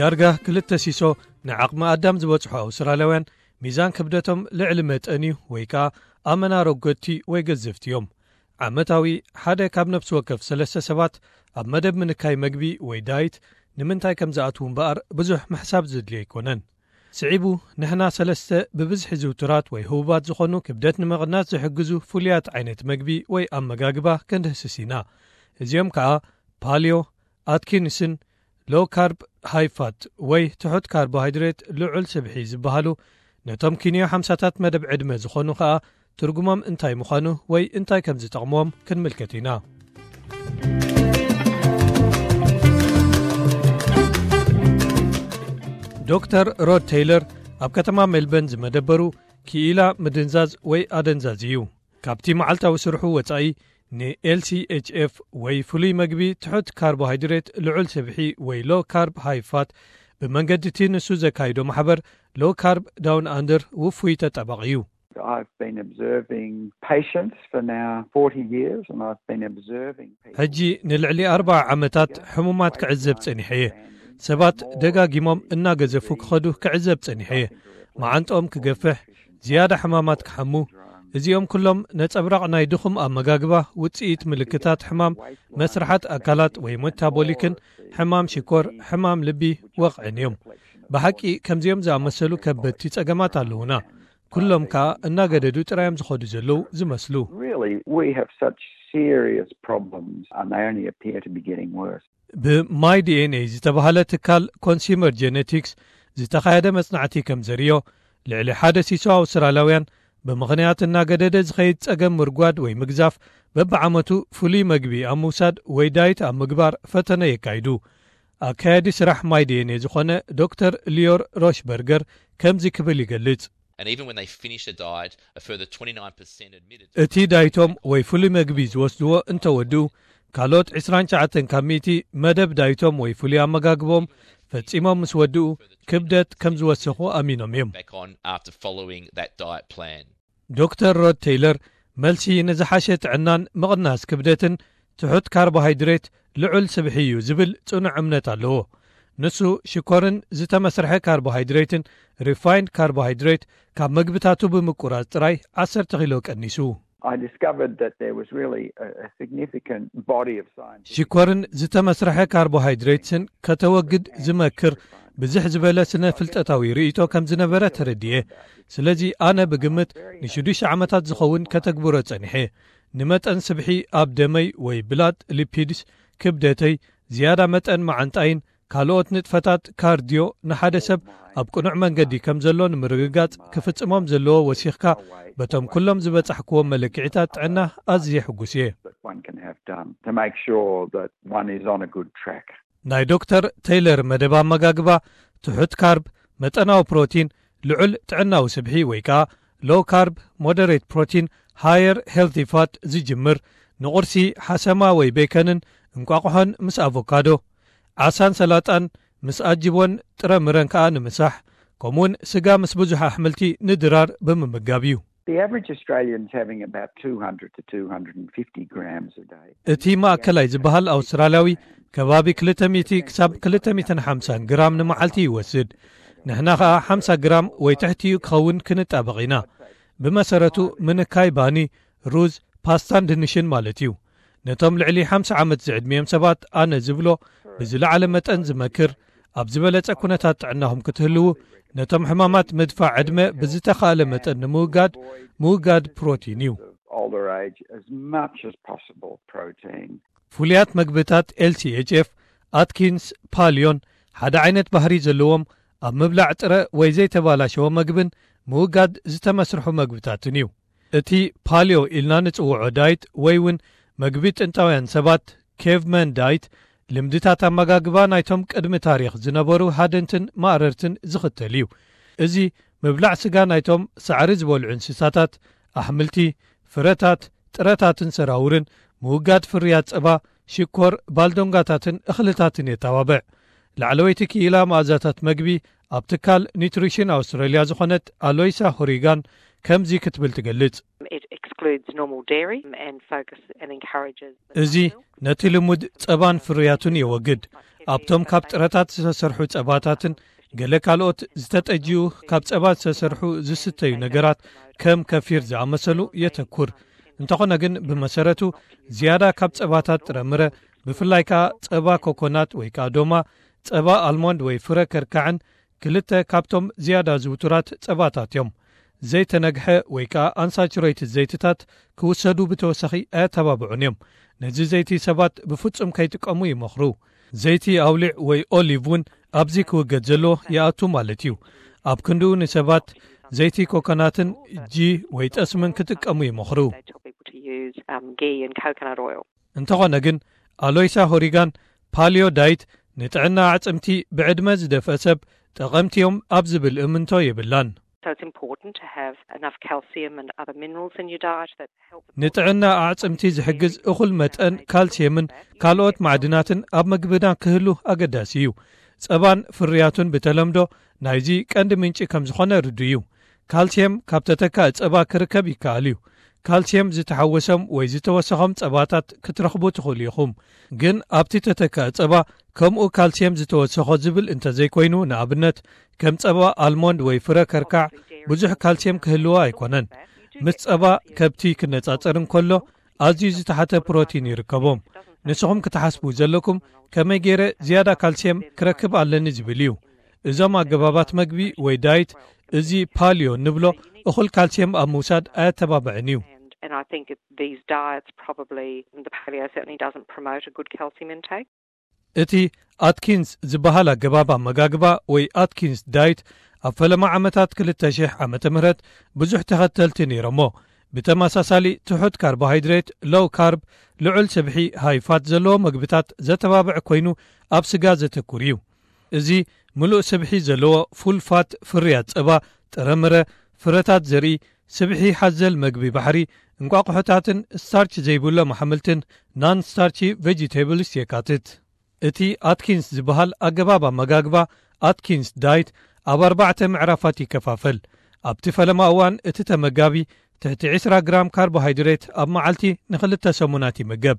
ዳርጋ ክልተ ሲሶ ንዓቕሚ ኣዳም ዝበጽሑ ኣውስትራልያውያን ሚዛን ክብደቶም ልዕሊ መጠን እዩ ወይ ከኣ ኣመና ረጎድቲ ወይ ገዘፍቲ እዮም። ዓመታዊ ሓደ ካብ ነፍሲ ወከፍ ሰለስተ ሰባት ኣብ መደብ ምንካይ መግቢ ወይ ዳይት ንምንታይ ከም ዝኣትዉ እምበኣር ብዙሕ ምሕሳብ ዘድልዮ ኣይኮነን። ስዒቡ ንሕና ሰለስተ ብብዝሒ ዝውቱራት ወይ ህቡባት ዝኾኑ ክብደት ንምቕናስ ዝሕግዙ ፍሉያት ዓይነት መግቢ ወይ ኣመጋግባ ክንድህስስ ኢና። እዚኦም ከኣ ፓልዮ፣ ኣትኪንስን ሎ ካርብ ሃይ ፋት ወይ ትሑት ካርቦሃይድሬት ልዑል ስብሒ ዝበሃሉ ነቶም ኪንዮ ሓምሳታት መደብ ዕድመ ዝኾኑ ከኣ ትርጉሞም እንታይ ምዃኑ ወይ እንታይ ከም ዝጠቕምዎም ክንምልከት ኢና። ዶክተር ሮድ ቴይለር ኣብ ከተማ ሜልበርን ዝመደበሩ ክኢላ ምድንዛዝ ወይ ኣደንዛዝ እዩ። ካብቲ መዓልታዊ ስርሑ ወጻኢ ንኤልሲኤችኤፍ ወይ ፍሉይ መግቢ ትሑት ካርቦሃይድሬት ልዑል ስብሒ ወይ ሎ ካርብ ሃይ ፋት ብመንገዲ እቲ ንሱ ዘካይዶ ማሕበር ሎ ካርብ ዳውን ኣንደር ውፉይ ተጣባቒ እዩ። I've been observing patients for now forty years and I've been observing people. ሕጂ ንልዕሊ ኣርባዓ ዓመታት ሕሙማት ክዕዘብ ጸኒሐ እየ። ሰባት ደጋጊሞም እናገዘፉ ክኸዱ ክዕዘብ ጸኒሐ እየ። መዓንጥኦም ክገፍሕ፣ ዝያዳ ሕማማት ክሓሙ፣ እዚኦም ኩሎም ነጸብራቕ ናይ ድኹም ኣመጋግባ ውጽኢት ምልክታት ሕማም መስርሓት ኣካላት ወይ ሜታቦሊክን ሕማም ሽኮር፣ ሕማም ልቢ ወቕዕን እዮም። ብሓቂ ከምዚኦም ዝኣመሰሉ ከበድቲ ጸገማት ኣለዉና። ኩሎም ከኣ እናገደዱ ጥራዮም ዝኸዱ ዘለዉ ዝመስሉ። Really, we have such serious problems and they only appear to be getting worse. ብማይ ዲኤንኤ ዝተባህለ ትካል ኮንሱመር ጄኔቲክስ ዝተኻየደ መጽናዕቲ ከም ዘርእዮ ልዕሊ ሓደ ሲሶ ኣውስትራልያውያን ብምኽንያት እናገደደ ዝኸይድ ጸገም ምርጓድ ወይ ምግዛፍ በብዓመቱ ፍሉይ መግቢ ኣብ ምውሳድ ወይ ዳይት ኣብ ምግባር ፈተነ የካይዱ። ኣካያዲ ስራሕ ማይ ዲኤንኤ ዝኾነ ዶክተር ሊዮር ሮሽበርገር ከምዚ ክብል ይገልጽ። And even when they finish a diet, a further twenty-nine percent admitted እቲ ዳይቶም ወይ ፍሉይ መግቢ ዝወስድዎ እንተወድኡ ካልኦት ዕስራን ትሽዓተን ካብ ሚእቲ መደብ ዳይቶም ወይ ፍሉይ ኣመጋግቦም ፈጺሞም ምስ ወድኡ ክብደት ከም ዝወሰኹ ኣሚኖም እዮም። back on after following that diet plan. ዶክተር ሮድ ቴይለር መልሲ ንዝሓሸ ጥዕናን ምቕናስ ክብደትን ትሑት ካርቦሃይድሬት ልዑል ስብሒ እዩ ዝብል ጽኑዕ እምነት ኣለዎ። ንሱ ሽኮርን ዝተመስርሐ ካርቦሃይድሬትን ሪፋይንድ ካርቦሃይድሬት ካብ መግብታቱ ብምቁራጽ ጥራይ ዓሰርተ ኪሎ ቀኒሱ። I discovered that there was really a, a significant body of science. ሽኮርን ዝተመስርሐ ካርቦሃይድሬትስን ከተወግድ ዝመክር ብዝሕ ዝበለ ስነ ፍልጠታዊ ርእይቶ ከም ዝነበረ ተረድየ። ስለዚ ኣነ ብግምት ንሽዱሽተ ዓመታት ዝኸውን ከተግብሮ ጸኒሐ። ንመጠን ስብሒ ኣብ ደመይ ወይ ብላድ ሊፒድስ፣ ክብደተይ፣ ዝያዳ መጠን መዓንጣይን ካልኦት ንጥፈታት ካርድዮ ንሓደ ሰብ ኣብ ቅኑዕ መንገዲ ከም ዘሎ ንምርግጋጽ ክፍጽሞም ዘለዎ ወሲኽካ በቶም ኩሎም ዝበጻሕክዎም መለክዒታት ጥዕና ኣዝየ ሕጉስ እየ። That one can have done to make sure that one is on a good track. ናይ ዶክተር ቴይለር መደብ ኣመጋግባ ትሑት ካርብ፣ መጠናዊ ፕሮቲን፣ ልዑል ጥዕናዊ ስብሒ ወይ ከኣ ሎው ካርብ ሞደሬት ፕሮቲን ሃየር ሄልቲ ፋት ዝጅምር፣ ንቑርሲ ሓሰማ ወይ ቤከንን እንቋቑሖን ምስ ኣቮካዶ፣ ዓሳን ሰላጣን ምስ ኣጅቦን ጥረ ምረን ከኣ ንምሳሕ፣ ከምኡውን ስጋ ምስ ብዙሕ ኣሕምልቲ ንድራር ብምምጋብ እዩ። The average Australian's having about two hundred to two hundred and fifty grams a day. እቲ ማእከላይ ዝበሃል ኣውስትራልያዊ ከባቢ ክልተ ሚእቲ ክሳብ ክልተ ሚእትን ሓምሳን ግራም ንመዓልቲ ይወስድ። ንሕና ኸኣ ሓምሳ ግራም ወይ ትሕቲኡ ክኸውን ክንጣበቕ ኢና። ብመሰረቱ ምንካይ ባኒ፣ ሩዝ፣ ፓስታን ድንሽን ማለት እዩ። ነቶም ልዕሊ ሓምሳ ዓመት ዝዕድሚኦም ሰባት ኣነ ዝብሎ ብዝለዓለ መጠን ዝመክር፣ ኣብ ዝበለጸ ኩነታት ጥዕናኹም ክትህልዉ፣ ነቶም ሕማማት ምድፋዕ ዕድመ ብዝተኻእለ መጠን ንምውጋድ፣ ምውጋድ ፕሮቲን እዩ። Older age, as much as possible protein. ፍሉያት መግብታት ኤልሲኤችኤፍ፣ ኣትኪንስ፣ ፓልዮን ሓደ ዓይነት ባህሪ ዘለዎም ኣብ ምብላዕ ጥረ ወይ ዘይተባላሸወ መግብን ምውጋድ ዝተመስርሑ መግብታትን እዩ። እቲ ፓልዮ ኢልና ንጽውዖ ዳይት ወይ እውን መግቢ ጥንታውያን ሰባት፣ ኬቭመን ዳይት፣ ልምድታት ኣመጋግባ ናይቶም ቅድሚ ታሪኽ ዝነበሩ ሃደንትን ማእረርትን ዝኽተል እዩ። እዚ ምብላዕ ስጋ ናይቶም ሳዕሪ ዝበልዑ እንስሳታት፣ ኣሕምልቲ፣ ፍረታት፣ ጥረታትን ሰራውርን፣ ምውጋድ ፍርያት ጸባ፣ ሽኮር፣ ባልዶንጋታትን እኽልታትን የተባብዕ። ላዕለወይቲ ክኢላ መኣዛታት መግቢ ኣብ ትካል ኒትሪሽን ኣውስትራልያ ዝኾነት ኣሎይሳ ሆሪጋን ከምዚ ክትብል ትገልጽ። It excludes normal dairy and focus and encourages the እዚ ነቲ ልሙድ ጸባን ፍርያቱን የወግድ። ኣብቶም ካብ ጥረታት ዝተሰርሑ ጸባታትን ገለ ካልኦት ዝተጠጅኡ ካብ ጸባ ዝተሰርሑ ዝስተዩ ነገራት ከም ከፊር ዝኣመሰሉ የተኩር። እንተኾነ ግን ብመሰረቱ ዝያዳ ካብ ጸባታት ጥረምረ፣ ብፍላይ ከኣ ጸባ ኮኮናት ወይ ከኣ ዶማ፣ ጸባ ኣልሞንድ ወይ ፍረ ከርካዕን ክልተ ካብቶም ዝያዳ ዝውቱራት ጸባታት እዮም። ዘይተነግሐ ወይ ከኣ ኣንሳቹሬትድ ዘይትታት ክውሰዱ ብተወሳኺ ኣየተባብዑን እዮም። ነዚ ዘይቲ ሰባት ብፍጹም ከይጥቀሙ ይመኽሩ። ዘይቲ ኣውሊዕ ወይ ኦሊቭ እውን ኣብዚ ክውገድ ዘለዎ ይኣቱ ማለት እዩ። ኣብ ክንድኡ ንሰባት ዘይቲ ኮኮናትን ጂ ወይ ጠስምን ክጥቀሙ ይመኽሩ። እንተኾነ ግን ኣሎይሳ ሆሪጋን ፓሊዮ ዳይት ንጥዕና ኣዕጽምቲ ብዕድመ ዝደፍአ ሰብ ጠቐምቲ እዮም ኣብ ዝብል እምንቶ የብላን። So it's important to have enough calcium and other minerals in your diet that help ንጥዕና ኣዕጽምቲ ዝሕግዝ እኹል መጠን ካልሲየምን ካልኦት ማዕድናትን ኣብ ምግብና ክህሉ ኣገዳሲ እዩ። ጸባን ፍርያቱን ብተለምዶ ናይዚ ቀንዲ ምንጪ ከም ዝኾነ ርዱ እዩ። ካልሲየም ካብ ተተካኢ ጸባ ክርከብ ይከኣል እዩ። ካልሲየም ዝተሓወሶም ወይ ዝተወሰኾም ጸባታት ክትረኽቡ ትኽእሉ ኢኹም። ግን ኣብቲ ተተካኢ ጸባ ከምኡ ካልሲየም ዝተወሰኾ ዝብል እንተዘይኮይኑ፣ ንኣብነት ከም ጸባ ኣልሞንድ ወይ ፍረ ከርካዕ ብዙሕ ካልሲየም ክህልዎ ኣይኮነን። ምስ ጸባ ከብቲ ክነጻጸር እንከሎ ኣዝዩ ዝተሓተ ፕሮቲን ይርከቦም። ንስኹም ክትሓስቡ ዘለኩም ከመይ ገይረ ዝያዳ ካልሲየም ክረክብ ኣለኒ ዝብል እዩ። እዞም ኣገባባት መግቢ ወይ ዳይት፣ እዚ ፓሊዮ ንብሎ እኹል ካልሲየም ኣብ ምውሳድ ኣየተባብዕን እዩ። And, and I think it, these diets probably, the paleo certainly doesn't promote a good calcium intake. እቲ ኣትኪንስ ዝበሃል ኣገባብ ኣመጋግባ ወይ ኣትኪንስ ዳይት ኣብ ፈለማ ዓመታት ክልተ ሽሕ ዓመተ ምህረት ብዙሕ ተኸተልቲ ነይሮሞ። ብተመሳሳሊ ትሑት ካርቦሃይድሬት፣ ሎው ካርብ፣ ልዑል ስብሒ፣ ሃይ ፋት ዘለዎ መግብታት ዘተባብዕ ኮይኑ ኣብ ስጋ ዘተኩር እዩ። እዚ ምሉእ ስብሒ ዘለዎ ፉል ፋት ፍርያት ጸባ፣ ጥረምረ፣ ፍረታት ዘርኢ፣ ስብሒ ሓዘል መግቢ ባሕሪ፣ እንቋቑሖታትን ስታርች ዘይብሎም ኣሕምልትን ናን ስታርቺ ቬጂቴብልስ የካትት። እቲ ኣትኪንስ ዝበሃል ኣገባብ ኣመጋግባ ኣትኪንስ ዳይት ኣብ ኣርባዕተ ምዕራፋት ይከፋፈል። ኣብቲ ፈለማ እዋን እቲ ተመጋቢ ትሕቲ ዕስራ ግራም ካርቦሃይድሬት ኣብ መዓልቲ ንኽልተ ሰሙናት ይምገብ።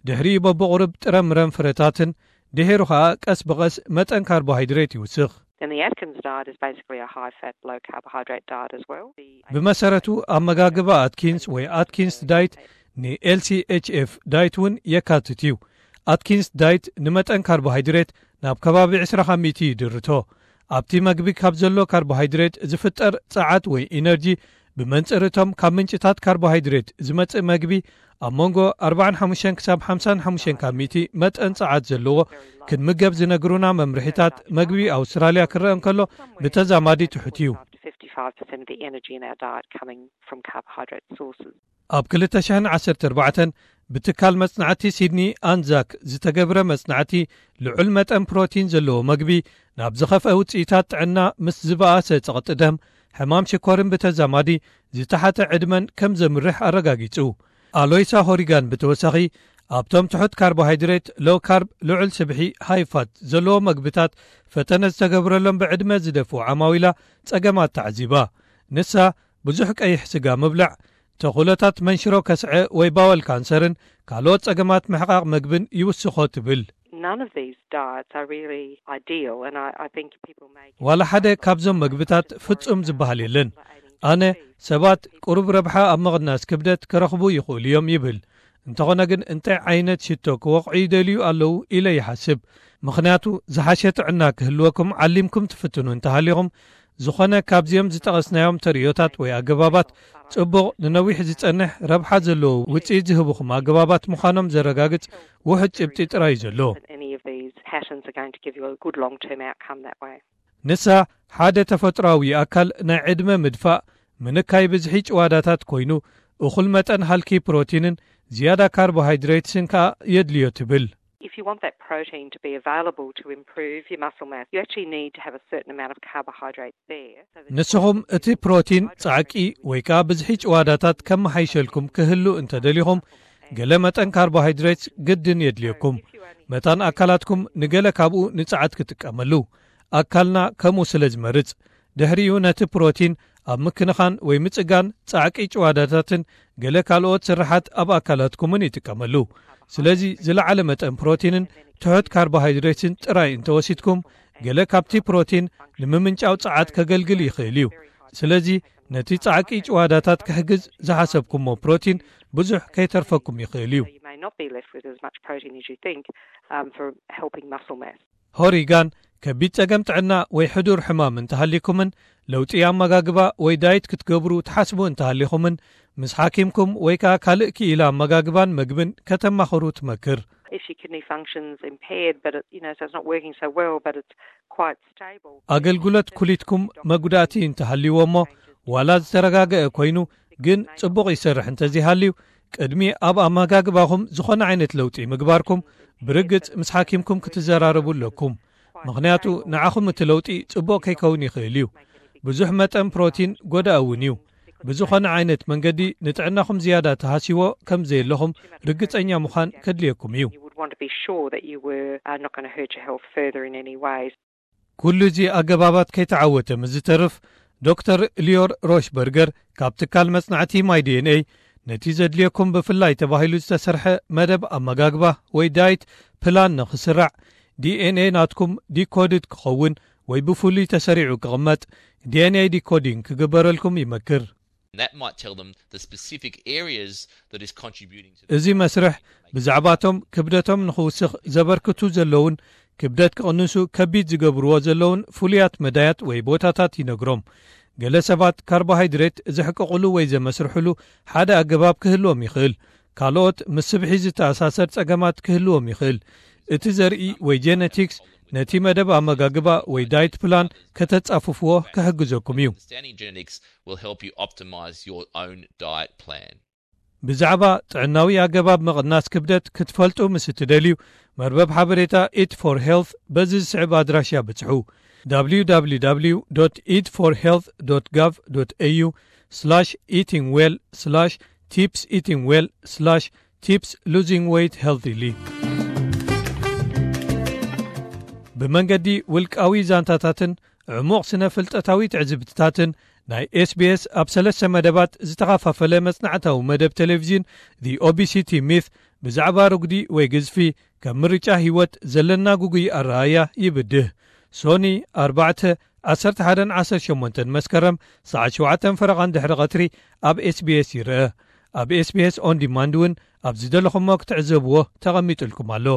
ድሕሪኡ በብቑሩብ ጥረምረን ፍረታትን ድሒሩ ኸኣ ቀስ ብቐስ መጠን ካርቦሃይድሬት ይውስኽ። And the Atkins diet is basically a high fat, low carbohydrate diet as well. ብመሰረቱ ኣመጋግባ ኣትኪንስ ወይ ኣትኪንስ ዳይት ን ኤል ሲ ኤች ኤፍ ዳይት እውን የካትት እዩ። ኣትኪንስ ዳይት ንመጠን ካርቦሃይድሬት ናብ ከባቢ ዕስራ ካብ ሚእቲ ይድርቶ። ኣብቲ መግቢ ካብ ዘሎ ካርቦሃይድሬት ዝፍጠር ጸዓት ወይ ኢነርጂ ብመንጽር እቶም ካብ ምንጭታት ካርቦሃይድሬት ዝመጽእ መግቢ ኣብ መንጎ ኣርባዓን ሓሙሽተን ክሳብ ሓምሳን ሓሙሽተን ካብ ሚእቲ መጠን ጸዓት ዘለዎ ክንምገብ ዝነግሩና መምርሒታት መግቢ ኣውስትራልያ ክረአ እንከሎ ብተዛማዲ ትሑት እዩ። Fifty-five percent of the energy in our diet coming from carbohydrate sources. ኣብ ክልተ ሽሕን ዓሰርተ ኣርባዕተን ብትካል መጽናዕቲ ሲድኒ ኣንዛክ ዝተገብረ መጽናዕቲ ልዑል መጠን ፕሮቲን ዘለዎ መግቢ ናብ ዝኸፍአ ውጽኢታት ጥዕና ምስ ዝበኣሰ ጸቕጢ ደም፣ ሕማም ሽኮርን ብተዛማዲ ዝተሓተ ዕድመን ከም ዘምርሕ ኣረጋጊጹ። ኣሎይሳ ሆሪጋን ብተወሳኺ ኣብቶም ትሑት ካርቦሃይድሬት፣ ሎው ካርብ፣ ልዑል ስብሒ፣ ሃይ ፋት ዘለዎ መግብታት ፈተነ ዝተገብረሎም ብዕድመ ዝደፍኡ ዓማዊላ ጸገማት ተዓዚባ። ንሳ ብዙሕ ቀይሕ ስጋ ምብላዕ ተኽእሎታት መንሽሮ ከስዐ ወይ ባወል ካንሰርን ካልኦት ጸገማት ምሕቓቕ መግብን ይውስኾ ትብል። None of these diets are really ideal, and I, I think people may ዋላ ሓደ ካብዞም መግብታት ፍጹም ዝበሃል የለን። ኣነ ሰባት ቁሩብ ረብሓ ኣብ ምቕናስ ክብደት ክረኽቡ ይኽእሉ እዮም ይብል። እንተኾነ ግን እንታይ ዓይነት ሽቶ ክወቕዑ ይደልዩ ኣለዉ ኢለ ይሓስብ። ምኽንያቱ ዝሓሸ ጥዕና ክህልወኩም ዓሊምኩም ትፍትኑ እንተሃሊኹም፣ ዝኾነ ካብዚኦም ዝጠቐስናዮም ተርእዮታት ወይ ኣገባባት ጽቡቕ ንነዊሕ ዝጸንሕ ረብሓ ዘለዎ ውጽኢት ዝህቡኹም ኣገባባት ምዃኖም ዘረጋግጽ ውሑድ ጭብጢ ጥራይ እዩ ዘሎ። That any of these patterns are going to give you a good long-term outcome that way. ንሳ ሓደ ተፈጥሮኣዊ ኣካል ናይ ዕድመ ምድፋእ ምንካይ ብዝሒ ጭዋዳታት ኮይኑ፣ እኹል መጠን ሃልኪ ፕሮቲንን ዝያዳ ካርቦሃይድሬትስን ከኣ የድልዮ ትብል። If you want that protein to be available to improve your muscle mass, you actually need to have a certain amount of carbohydrate there. So that ንስኹም እቲ ፕሮቲን ጻዕቂ ወይ ከኣ ብዝሒ ጭዋዳታት ከመሓይሸልኩም ክህሉ እንተደሊኹም፣ ገለ መጠን ካርቦሃይድሬትስ ግድን የድልየኩም። መታን ኣካላትኩም ንገለ ካብኡ ንጸዓት ክጥቀመሉ፣ ኣካልና ከምኡ ስለ ዝመርጽ፣ ድሕሪኡ ነቲ ፕሮቲን ኣብ ምክንኻን ወይ ምጽጋን ጻዕቂ ጭዋዳታትን ገለ ካልኦት ስርሓት ኣብ ኣካላትኩምን ይጥቀመሉ። ስለዚ ዝለዓለ መጠን ፕሮቲንን ትሑት ካርቦሃይድሬትን ጥራይ እንተወሲድኩም፣ ገለ ካብቲ ፕሮቲን ንምምንጫው ጸዓት ከገልግል ይኽእል እዩ። ስለዚ ነቲ ጻዕቂ ጭዋዳታት ክሕግዝ ዝሓሰብኩሞ ፕሮቲን ብዙሕ ከይተርፈኩም ይኽእል እዩ። You may not be left with as much protein as you think um, for helping muscle mass. ሆሪጋን ከቢድ ጸገም ጥዕና ወይ ሕዱር ሕማም እንተሃሊኩምን ለውጢ ኣመጋግባ ወይ ዳይት ክትገብሩ ትሓስቡ እንተሃሊኹምን፣ ምስ ሓኪምኩም ወይ ከኣ ካልእ ክኢላ ኣመጋግባን መግብን ከተማኽሩ ትመክር። If your kidney function's impaired, but it, you know, so it's not working so well, but it's quite stable. ኣገልግሎት ኩሊትኩም መጉዳእቲ እንተሃልይዎ እሞ፣ ዋላ ዝተረጋገአ ኮይኑ ግን ጽቡቕ ይሰርሕ እንተዘይሃልዩ፣ ቅድሚ ኣብ ኣመጋግባኹም ዝኾነ ዓይነት ለውጢ ምግባርኩም ብርግጽ ምስ ሓኪምኩም ክትዘራረቡ ኣለኩም። ምኽንያቱ ንዓኹም እቲ ለውጢ ጽቡቕ ከይከውን ይኽእል እዩ። ብዙሕ መጠን ፕሮቲን ጎዳኢ እውን እዩ። ብዝኾነ ዓይነት መንገዲ ንጥዕናኹም ዝያዳ ተሃስይዎ ከም ዘየለኹም ርግጸኛ ምዃን ከድልየኩም እዩ። You would want to be sure that you were uh, not going to hurt your health further in any way. ኩሉ እዚ ኣገባባት ከይተዓወተ ምስ ዝተርፍ፣ ዶክተር ሊዮር ሮሽበርገር ካብ ትካል መጽናዕቲ ማይ ዲ ኤን ኤ ነቲ ዘድልየኩም ብፍላይ ተባሂሉ ዝተሰርሐ መደብ ኣመጋግባ ወይ ዳይት ፕላን ንኽስራዕ፣ ዲ ኤን ኤ ናትኩም ዲኮድድ ክኸውን ወይ ብፍሉይ ተሰሪዑ ክቕመጥ፣ ዲ ኤን ኤ ዲኮዲንግ ክግበረልኩም ይመክር። That might tell them the specific areas that is contributing to እዚ መስርሕ ብዛዕባቶም ክብደቶም ንኽውስኽ ዘበርክቱ ዘለውን ክብደት ክቕንሱ ከቢድ ዝገብርዎ ዘለውን ፍሉያት መዳያት ወይ ቦታታት ይነግሮም። ገለ ሰባት ካርቦሃይድሬት ዘሕቅቕሉ ወይ ዘመስርሕሉ ሓደ ኣገባብ ክህልዎም ይኽእል። ካልኦት ምስ ስብሒ ዝተኣሳሰር ጸገማት ክህልዎም ይኽእል። እቲ ዘርኢ ወይ ጄነቲክስ ነቲ መደብ ኣመጋግባ ወይ ዳይት ፕላን ከተጻፍፍዎ ክሕግዘኩም እዩ። Understanding genetics will help you optimize your own diet plan. ብዛዕባ ጥዕናዊ ኣገባብ ምቕናስ ክብደት ክትፈልጡ ምስ እትደልዩ፣ መርበብ ሓበሬታ ኢት ፎር ሄልት በዚ ዝስዕብ ኣድራሻ ብጽሑ። www.eatforhealth.gov.au eatingwell tips eatingwell tips losing weight healthily። ብመንገዲ ውልቃዊ ዛንታታትን ዕሙቕ ስነ ፍልጠታዊ ትዕዝብትታትን ናይ ኤስቢኤስ ኣብ ሰለስተ መደባት ዝተኸፋፈለ መጽናዕታዊ መደብ ቴሌቪዥን The Obesity Myth ብዛዕባ ርጉዲ ወይ ግዝፊ ከም ምርጫ ህይወት ዘለና ጉጉይ ኣረኣያ ይብድህ። ሶኒ ኣርባዕተ ዓሰርተ ሓደን ዓሰርተ ሸሞንተን መስከረም ሰዓት ሸውዓተን ፈረቓን ድሕሪ ቐትሪ ኣብ ኤስቢኤስ ይርአ። ኣብ ኤስቢኤስ ኦን ዲማንድ እውን ኣብ ዝደለኹሞ ክትዕዘብዎ ተቐሚጡልኩም ኣሎ።